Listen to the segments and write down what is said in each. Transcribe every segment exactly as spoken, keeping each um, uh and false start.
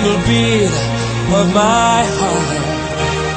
single beat of my heart.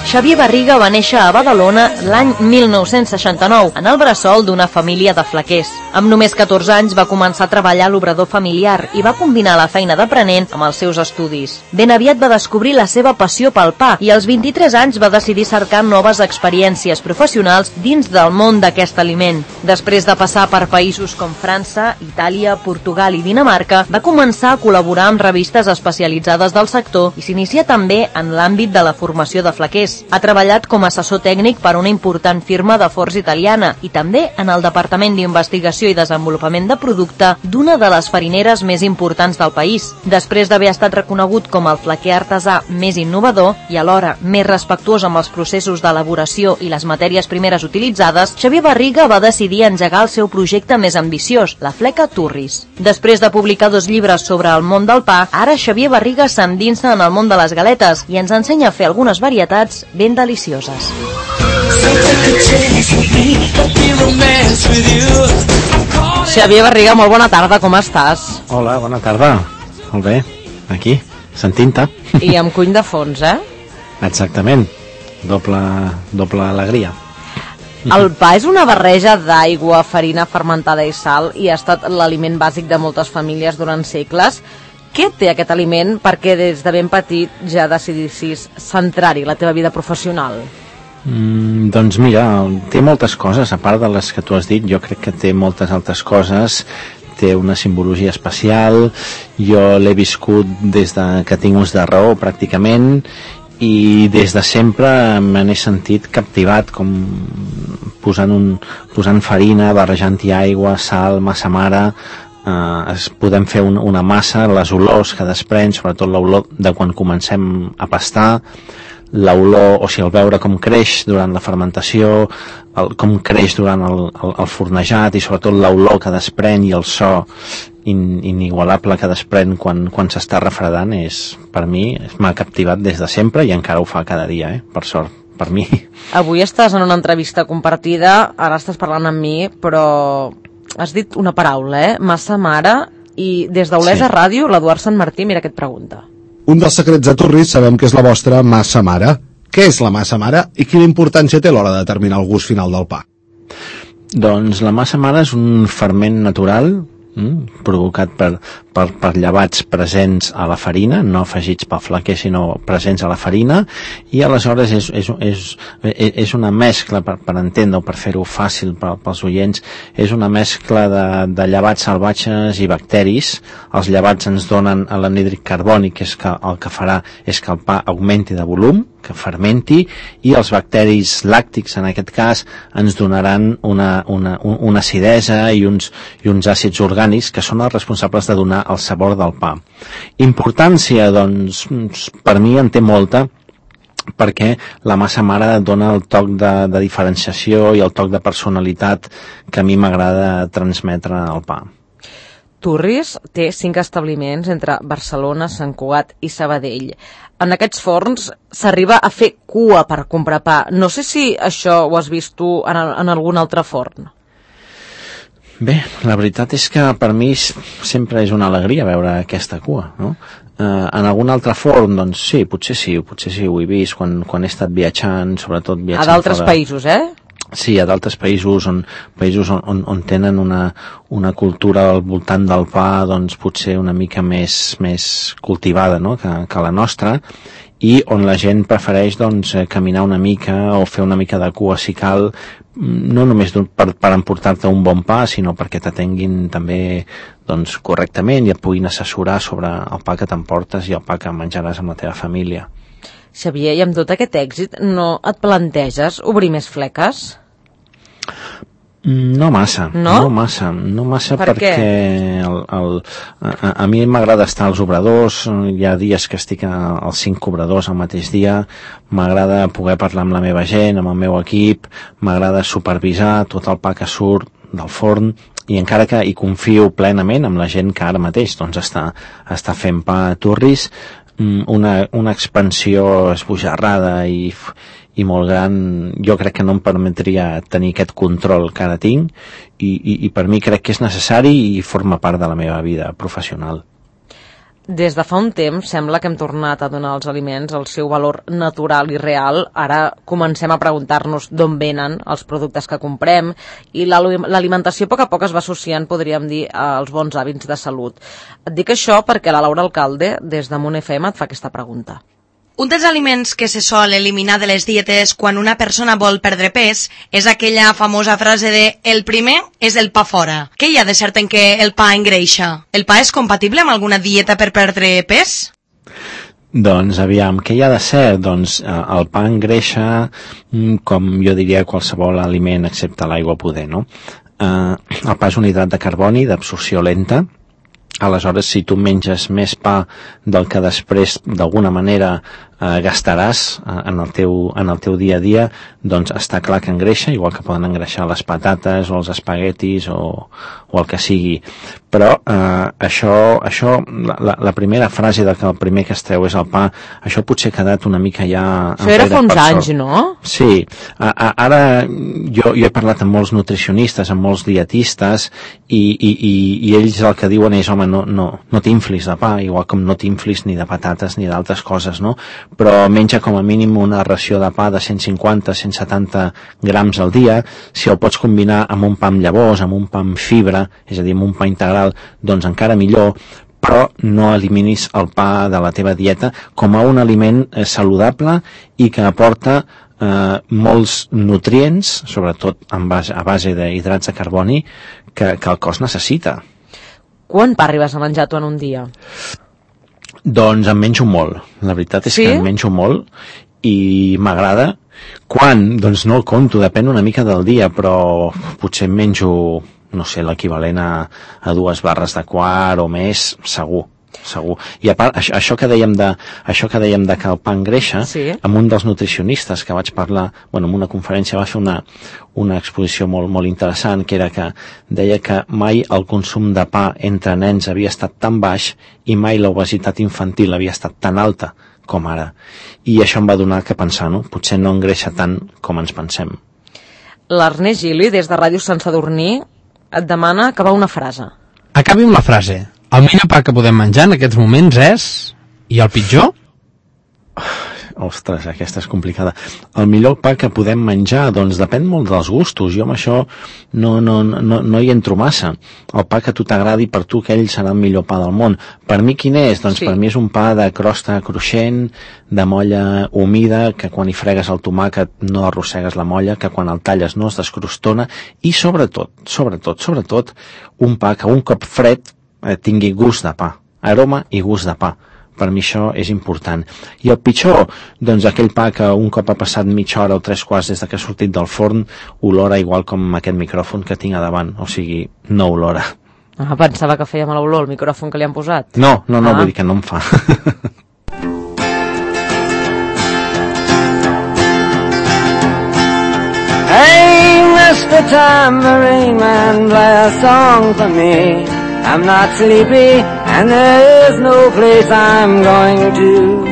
Xavier Barriga va néixer a Badalona l'any mil nou-cents seixanta-nou, en el bressol d'una família de flaquers. Amb només catorze anys va començar a treballar a l'obrador familiar i va combinar la feina d'aprenent amb els seus estudis. Ben aviat va descobrir la seva passió pel pa i als vint-i-tres anys va decidir cercar noves experiències professionals dins del món d'aquest aliment. Després de passar per països com França, Itàlia, Portugal i Dinamarca, va començar a col·laborar amb revistes especialitzades del sector i s'inicia també en l'àmbit de la formació de flaquers. Ha treballat com a assessor tècnic per una important firma de forns italiana i també en el Departament d'Investigació i Desenvolupament de Producte d'una de les farineres més importants del país. Després d'haver estat reconegut com el flaquer artesà més innovador i alhora més respectuós amb els processos d'elaboració i les matèries primeres utilitzades, Xavier Barriga va decidir engegar el seu projecte més ambiciós, la fleca Turris. Després de publicar dos llibres sobre el món del pa, ara Xavier Barriga s'endinsa en el món de les galetes i ens ensenya a fer algunes varietats ben delicioses. Xavier Barriga, molt bona tarda, com estàs? Hola, bona tarda. Molt bé, aquí, sentint-te. I amb cuny de fons, eh? Exactament, doble, doble alegria. El pa és una barreja d'aigua, farina fermentada i sal i ha estat l'aliment bàsic de moltes famílies durant segles. Què té aquest aliment perquè des de ben petit ja decidissis centrar-hi la teva vida professional? Mm, doncs mira, té moltes coses, a part de les que tu has dit, jo crec que té moltes altres coses. Té una simbologia especial, jo l'he viscut des de que tinc ús de raó pràcticament i des de sempre me n'he sentit captivat, com posant, un, posant farina, barrejant-hi aigua, sal, massa mare. Uh, es, podem fer un, una massa, les olors que desprèn, sobretot l'olor de quan comencem a pastar, l'olor, o sigui, el veure com creix durant la fermentació, el, com creix durant el, el, el fornejat i sobretot l'olor que desprèn i el so in, inigualable que desprèn quan, quan s'està refredant, és, per mi, m'ha captivat des de sempre i encara ho fa cada dia, eh? Per sort, per mi. Avui estàs en una entrevista compartida, ara estàs parlant amb mi, però has dit una paraula, eh? Massa mare, i des d'Olesa sí. Ràdio, l'Eduard Sant Martí, mira què et pregunta. Un dels secrets de Turris sabem que és la vostra massa mare. Què és la massa mare i quina importància té a l'hora de determinar el gust final del pa? Doncs la massa mare és un ferment natural mm, provocat per, per, per llevats presents a la farina, no afegits pel flaquer, sinó presents a la farina, i aleshores és, és, és, és una mescla, per, per entendre-ho, per fer-ho fàcil per, pels oients, és una mescla de, de llevats salvatges i bacteris. Els llevats ens donen l'anhídrid carbònic, que és que el que farà és que el pa augmenti de volum, que fermenti, i els bacteris làctics, en aquest cas, ens donaran una, una, una acidesa i uns, i uns àcids orgànics que són els responsables de donar el sabor del pa. Importància, doncs, per mi en té molta, perquè la massa mare dona el toc de, de diferenciació i el toc de personalitat que a mi m'agrada transmetre al pa. Turris té cinc establiments entre Barcelona, Sant Cugat i Sabadell. En aquests forns s'arriba a fer cua per comprar pa. No sé si això ho has vist tu en, en algun altre forn. Bé, la veritat és que per mi sempre és una alegria veure aquesta cua, no? Eh, en algun altre forn, doncs sí, potser sí, potser sí, ho he vist quan, quan he estat viatjant, sobretot viatjant a d'altres fora... països, eh? Sí, a d'altres països on, països on, on, on tenen una, una cultura al voltant del pa, doncs potser una mica més, més cultivada, no?, que, que la nostra, i on la gent prefereix doncs, caminar una mica o fer una mica de cua si cal, no només per, per emportar-te un bon pa, sinó perquè t'atenguin també doncs, correctament i et puguin assessorar sobre el pa que t'emportes i el pa que menjaràs amb la teva família. Xavier, i amb tot aquest èxit no et planteges obrir més fleques? No massa, no, no massa, no massa per perquè el, el, a, a mi m'agrada estar als obradors, hi ha dies que estic a, als cinc obradors al mateix dia, m'agrada poder parlar amb la meva gent, amb el meu equip, m'agrada supervisar tot el pa que surt del forn, i encara que hi confio plenament amb la gent que ara mateix doncs, està, està fent pa a Turris, una, una expansió esbojarrada i i molt gran, jo crec que no em permetria tenir aquest control que ara tinc i, i, i per mi crec que és necessari i forma part de la meva vida professional. Des de fa un temps sembla que hem tornat a donar als aliments el seu valor natural i real. Ara comencem a preguntar-nos d'on venen els productes que comprem i l'alimentació a poc a poc es va associant, podríem dir, als bons hàbits de salut. Et dic això perquè la Laura Alcalde, des de Munt F M, et fa aquesta pregunta. Un dels aliments que se sol eliminar de les dietes quan una persona vol perdre pes és aquella famosa frase de «el primer és el pa fora». Què hi ha de cert en què el pa engreixa? El pa és compatible amb alguna dieta per perdre pes? Doncs aviam, què hi ha de ser? Doncs el pa engreixa, com jo diria qualsevol aliment excepte l'aigua poder, no? El pa és un hidrat de carboni d'absorció lenta. Aleshores, si tu menges més pa del que després d'alguna manera eh, gastaràs eh, en, el teu, en el teu dia a dia, doncs està clar que engreixa, igual que poden engreixar les patates o els espaguetis o, o el que sigui. Però eh, això, això la, la primera frase de que el primer que es treu és el pa, això potser ha quedat una mica ja... Això era fa uns anys, no? Sí. A, a, ara jo, jo he parlat amb molts nutricionistes, amb molts dietistes, i, i, i, i ells el que diuen és, home, no, no, no t'inflis de pa, igual com no t'inflis ni de patates ni d'altres coses, no? Però menja com a mínim una ració de pa de cent cinquanta a cent setanta grams al dia. Si el pots combinar amb un pa amb llavors, amb un pa amb fibra, és a dir, amb un pa integral, doncs encara millor, però no eliminis el pa de la teva dieta com a un aliment eh, saludable i que aporta eh, molts nutrients, sobretot en base, a base d'hidrats de carboni, que, que el cos necessita. Quant pa arribes a menjar tu en un dia? Doncs en menjo molt. La veritat és sí? que en menjo molt i m'agrada. Quan? Doncs no el compto, depèn una mica del dia, però potser em menjo, no sé, l'equivalent a, a dues barres de quart o més, segur. segur. I a part, això, això, que dèiem de, això que dèiem de que el pa engreixa, sí. amb un dels nutricionistes que vaig parlar, bueno, en una conferència va fer una, una exposició molt, molt interessant, que era que deia que mai el consum de pa entre nens havia estat tan baix i mai l'obesitat infantil havia estat tan alta com ara. I això em va donar que pensar, no? Potser no engreixa tant com ens pensem. L'Ernest Gili, des de Ràdio Sant Sadurní, et demana acabar una frase. Acabi amb la frase. El millor pa que podem menjar en aquests moments és... I el pitjor? Ostres, aquesta és complicada. El millor pa que podem menjar, doncs depèn molt dels gustos. Jo amb això no, no, no, no hi entro massa. El pa que a tu t'agradi, per tu aquell serà el millor pa del món. Per mi quin és? Doncs sí. Per mi és un pa de crosta cruixent, de molla humida, que quan hi fregues el tomàquet no arrossegues la molla, que quan el talles no es descrostona, i sobretot, sobretot, sobretot, un pa que un cop fred eh, tingui gust de pa, aroma i gust de pa. Per mi això és important. I el pitjor, doncs aquell pa que un cop ha passat mitja hora o tres quarts des que ha sortit del forn, olora igual com aquest micròfon que tinc a davant, o sigui, no olora. Ah, pensava que feia mala olor el micròfon que li han posat. No, no, no, ah. vull dir que no em fa. Hey, mister Tambourine Man, play a song for me. I'm not sleepy, and there is no place I'm going to.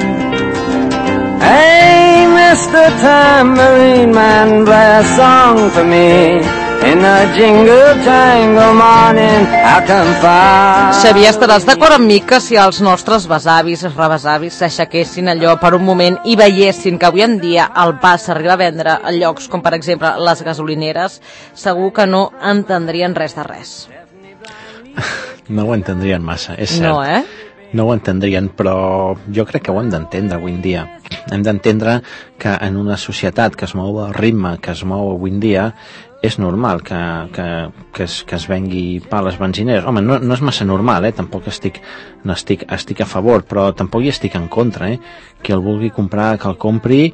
Hey, mister Tambourine Man, play a song for me. In the jingle jangle morning, I'll come far. Xavier, estaràs d'acord amb mi que si els nostres besavis, rebesavis, s'aixequessin allò per un moment i veiessin que avui en dia el pa s'arriba a vendre a llocs com per exemple les gasolineres, segur que no entendrien res de res. No ho entendrien massa, és cert. No, eh? No ho entendrien, però jo crec que ho hem d'entendre avui en dia. Hem d'entendre que en una societat que es mou al ritme que es mou avui en dia, és normal que, que, que, es, que es vengui pa a les benzineres. Home, no, no és massa normal, eh? Tampoc estic, no estic, estic a favor, però tampoc hi estic en contra, eh? Qui el vulgui comprar, que el compri,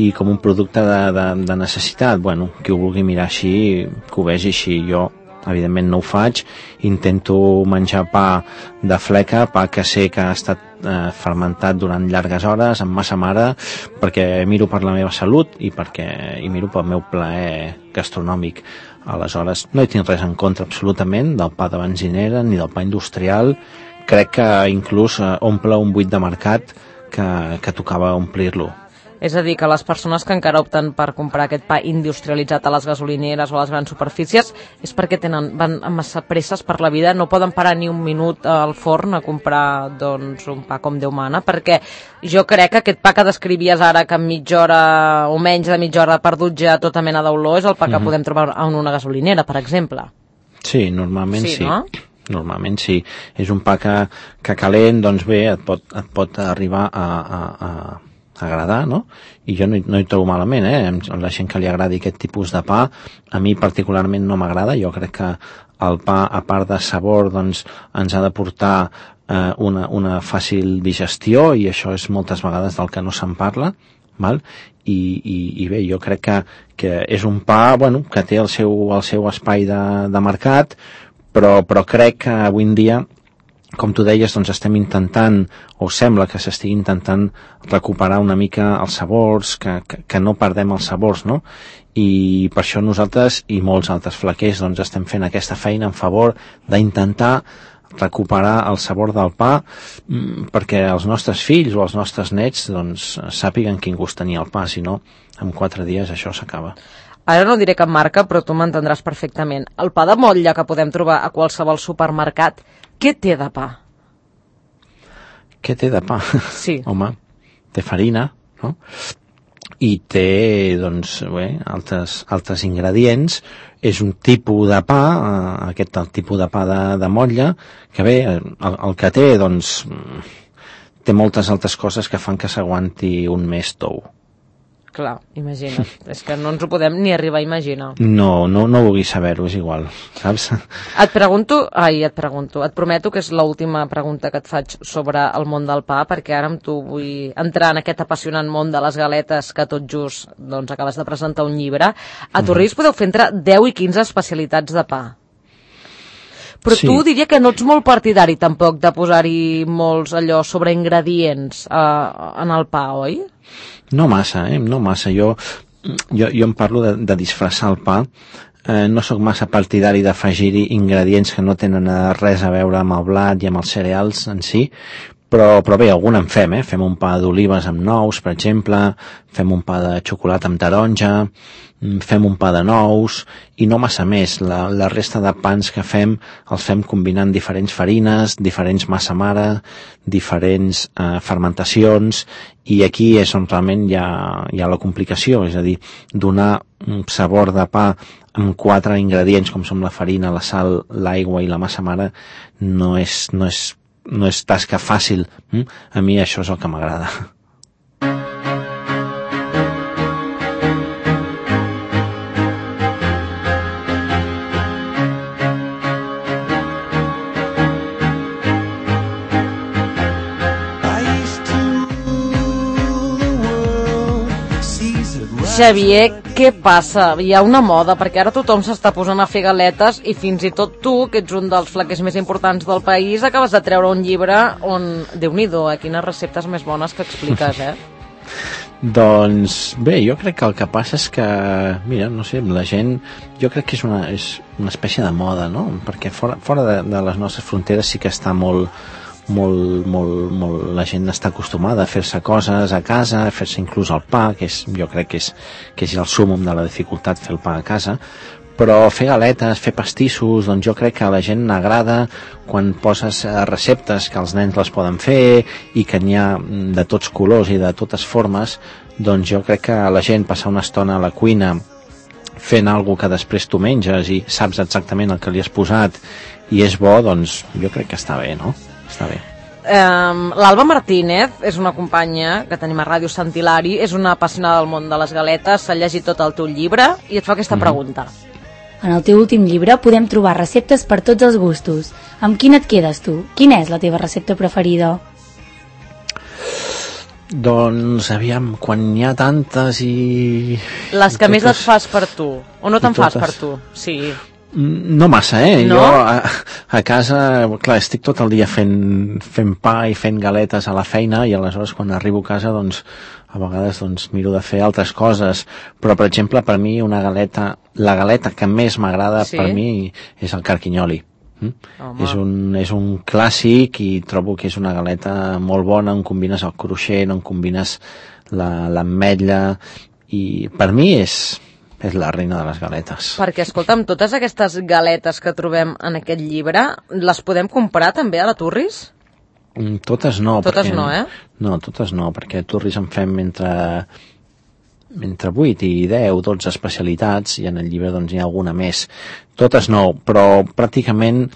i com un producte de, de, de necessitat, bueno, qui ho vulgui mirar així, que ho vegi així. Jo evidentment no ho faig, intento menjar pa de fleca, pa que sé que ha estat eh, fermentat durant llargues hores, amb massa mare, perquè miro per la meva salut i perquè i miro pel meu plaer gastronòmic. Aleshores, no hi tinc res en contra absolutament del pa de benzinera ni del pa industrial. Crec que inclús eh, omple un buit de mercat que, que tocava omplir-lo. És a dir, que les persones que encara opten per comprar aquest pa industrialitzat a les gasolineres o a les grans superfícies és perquè tenen, van amb massa presses per la vida, no poden parar ni un minut al forn a comprar doncs, un pa com Déu mana, perquè jo crec que aquest pa que descrivies ara, que en mitja hora o menys de mitja hora perdut ja tota mena d'olor, és el pa que mm-hmm. podem trobar en una gasolinera, per exemple. Sí, normalment sí. Sí, no? Normalment sí. És un pa que, que calent, doncs bé, et pot, et pot arribar a, a, a agradar, no? I jo no hi, no hi trobo malament, eh? La gent que li agradi aquest tipus de pa, a mi particularment no m'agrada. Jo crec que el pa, a part de sabor, doncs, ens ha de portar eh, una, una fàcil digestió, i això és moltes vegades del que no se'n parla, val? I, i, i bé, jo crec que, que és un pa, bueno, que té el seu, el seu espai de, de mercat, però, però crec que avui en dia, com tu deies, doncs estem intentant, o sembla que s'estigui intentant recuperar una mica els sabors, que, que, que no perdem els sabors, no? I per això nosaltres i molts altres flaquers doncs estem fent aquesta feina en favor d'intentar recuperar el sabor del pa, perquè els nostres fills o els nostres nets doncs sàpiguen quin gust tenia el pa, si no, en quatre dies això s'acaba. Ara no diré cap marca, però tu m'entendràs perfectament. El pa de motlla que podem trobar a qualsevol supermercat, què té de pa? Què té de pa? Sí. Home, té farina, no? I té, doncs, bé, altres, altres ingredients. És un tipus de pa, eh, aquest el tipus de pa de, de motlla, que bé, el, el que té, doncs, té moltes altres coses que fan que s'aguanti un mes tou. Clar, imagina't. És que no ens ho podem ni arribar a imaginar. No, no, no vulguis saber-ho, és igual, saps? Et pregunto, ai, et pregunto, et prometo que és l'última pregunta que et faig sobre el món del pa, perquè ara amb tu vull entrar en aquest apassionant món de les galetes que tot just doncs, acabes de presentar un llibre. A Torrís podeu fer entre deu i quinze especialitats de pa. Però sí. Tu diria que no ets molt partidari tampoc de posar-hi molts allò sobre ingredients eh, en el pa, oi? No massa, eh? No massa. Jo, jo, jo em parlo de, de disfressar el pa. Eh, no sóc massa partidari d'afegir-hi ingredients que no tenen res a veure amb el blat i amb els cereals en si, però, però bé, algun en fem, eh? Fem un pa d'olives amb nous, per exemple, fem un pa de xocolata amb taronja, fem un pa de nous, i no massa més. La, la resta de pans que fem els fem combinant diferents farines, diferents massa mare, diferents eh, fermentacions, i aquí és on realment hi ha, hi ha la complicació, és a dir, donar un sabor de pa amb quatre ingredients com són la farina, la sal, l'aigua i la massa mare no és, no és, no és tasca fàcil. A mi això és el que m'agrada. Xavier, què passa? Hi ha una moda, perquè ara tothom s'està posant a fer galetes i fins i tot tu, que ets un dels flaquers més importants del país, acabes de treure un llibre on, Déu-n'hi-do, eh? Quines receptes més bones que expliques, eh? Doncs bé, jo crec que el que passa és que, mira, no sé, la gent, jo crec que és una, és una espècie de moda, no? Perquè fora, fora de, de les nostres fronteres sí que està molt, molt, molt, molt, la gent està acostumada a fer-se coses a casa, a fer-se inclús el pa, que és, jo crec que és, que és el súmmum de la dificultat fer el pa a casa, però fer galetes, fer pastissos, doncs jo crec que a la gent n'agrada quan poses receptes que els nens les poden fer i que n'hi ha de tots colors i de totes formes, doncs jo crec que la gent passar una estona a la cuina fent alguna que després tu menges i saps exactament el que li has posat i és bo, doncs jo crec que està bé, no? Està bé. Um, L'Alba Martínez és una companya que tenim a Ràdio Sant Hilari, és una apassionada del món de les galetes, s'ha llegit tot el teu llibre i et fa aquesta mm-hmm. pregunta. En el teu últim llibre podem trobar receptes per tots els gustos. Amb quina et quedes tu? Quina és la teva recepta preferida? Doncs, aviam, quan n'hi ha tantes i... Les que totes... més et fas per tu, o no te'n fas per tu? Sí. No massa, eh? No? Jo a, a casa, clar, estic tot el dia fent, fent pa i fent galetes a la feina i aleshores quan arribo a casa, doncs, a vegades doncs, miro de fer altres coses, però per exemple per mi una galeta, la galeta que més m'agrada sí? per mi és el carquinyoli. Mm? És, un, és un clàssic i trobo que és una galeta molt bona on combines el cruixent, on combines l'ametlla i per mi és, és la reina de les galetes. Perquè, escolta'm, totes aquestes galetes que trobem en aquest llibre les podem comprar també a la Turris? Mm, totes no. Totes perquè, no, eh? No, totes no, perquè a Turris en fem entre entre vuit i deu, dotze especialitats i en el llibre doncs hi ha alguna més. Totes no, però pràcticament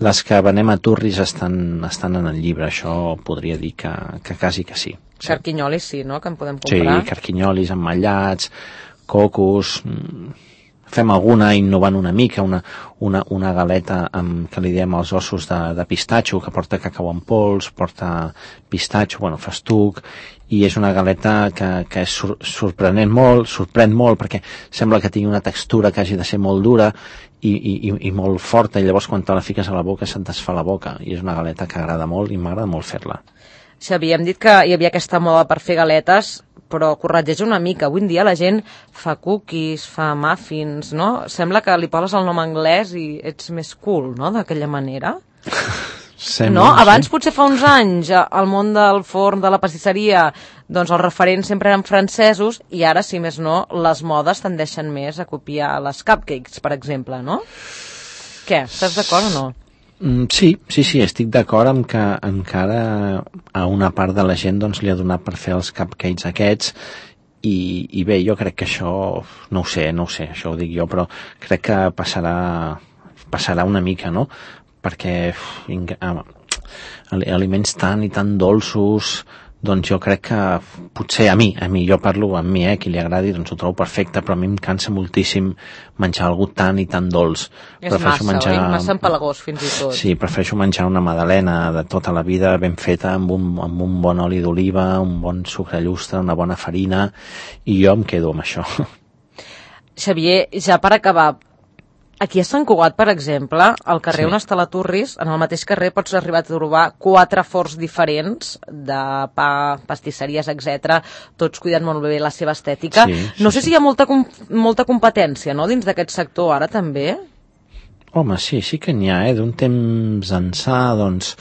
les que venem a Turris estan, estan en el llibre, això podria dir que, que quasi que sí. sí. Carquinyolis sí, no?, que en podem comprar. Sí, carquinyolis emmotllats, cocos, fem alguna innovant una mica, una, una, una galeta amb, que li diem els ossos de, de pistatxo, que porta cacau en pols, porta pistatxo, bueno, festuc, i és una galeta que, que és sor, sorprenent molt, sorprèn molt, perquè sembla que tingui una textura que hagi de ser molt dura i, i, i molt forta, i llavors quan te la fiques a la boca se't desfà la boca, i és una galeta que agrada molt i m'agrada molt fer-la. Xavi, hem dit que hi havia aquesta moda per fer galetes, però corregeix una mica. Avui en dia la gent fa cookies, fa muffins, no? Sembla que li poses el nom anglès i ets més cool, no?, d'aquella manera. Sembla, no? Abans, sí. potser fa uns anys, al món del forn, de la pastisseria, doncs els referents sempre eren francesos i ara, si més no, les modes tendeixen més a copiar les cupcakes, per exemple, no? Què? Estàs d'acord o no? Mm, sí, sí, sí, estic d'acord amb que encara a una part de la gent doncs, li ha donat per fer els cupcakes aquests i, i bé, jo crec que això, no ho sé, no ho sé, això ho dic jo, però crec que passarà, passarà una mica, no? Perquè uf, aliments tan i tan dolços, doncs jo crec que potser a mi, a mi, jo parlo amb mi, eh, qui li agradi, doncs ho trobo perfecte, però a mi em cansa moltíssim menjar algú tan i tan dolç. És massa, menjar... oi? Massa empalagós, fins i tot. Sí, prefereixo menjar una magdalena de tota la vida ben feta, amb un, amb un bon oli d'oliva, un bon sucre llustre, una bona farina, i jo em quedo amb això. Xavier, ja per acabar, aquí a Sant Cugat, per exemple, al carrer sí. on està la Turris, en el mateix carrer pots arribar a trobar quatre forns diferents de pa, pastisseries, etcètera, tots cuidant molt bé la seva estètica. Sí, sí, no sé sí. si hi ha molta, molta competència, no?, dins d'aquest sector ara també. Home, sí, sí que n'hi ha, eh? D'un temps ençà, doncs,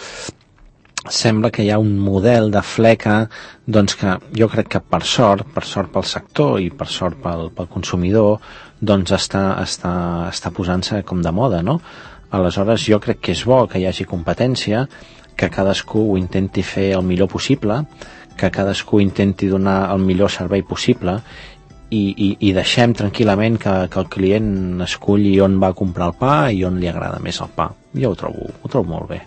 sembla que hi ha un model de fleca doncs que jo crec que per sort, per sort pel sector i per sort pel, pel consumidor, doncs està, està, està posant-se com de moda, no? Aleshores jo crec que és bo que hi hagi competència, que cadascú ho intenti fer el millor possible, que cadascú intenti donar el millor servei possible i, i, i deixem tranquil·lament que, que el client esculli on va comprar el pa i on li agrada més el pa. Jo ho trobo, ho trobo molt bé.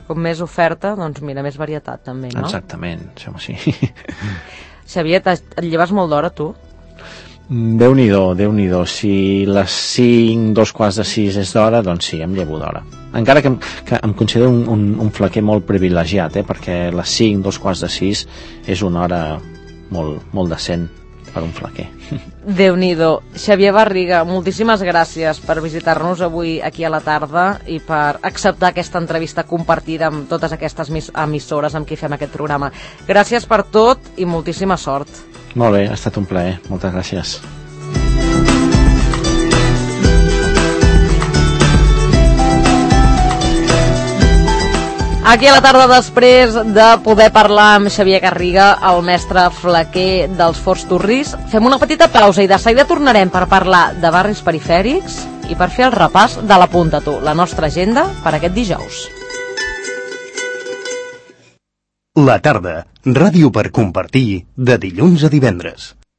Com més oferta, doncs mira, més varietat també, no? Exactament, sembla sí. Xavier, et lleves molt d'hora, tu? Déu-n'hi-do, Déu-n'hi-do. Si les cinc, dos quarts de sis és d'hora, doncs sí, em llevo d'hora. Encara que, que em considero un, un, un flequer molt privilegiat, eh? Perquè les cinc, dos quarts de sis és una hora molt, molt decent per un flequer. Déu-n'hi-do. Xavier Barriga, moltíssimes gràcies per visitar-nos avui aquí a la tarda i per acceptar aquesta entrevista compartida amb totes aquestes emissores amb qui fem aquest programa. Gràcies per tot i moltíssima sort. Molt bé, ha estat un plaer. Moltes gràcies. Aquí a la tarda, després de poder parlar amb Xavier Garriga, el mestre flequer dels Forns Turris, fem una petita pausa i de seguida tornarem per parlar de barris perifèrics i per fer el repàs de l'Apunta Tu, la nostra agenda per aquest dijous. La tarda, ràdio per compartir, de dilluns a divendres.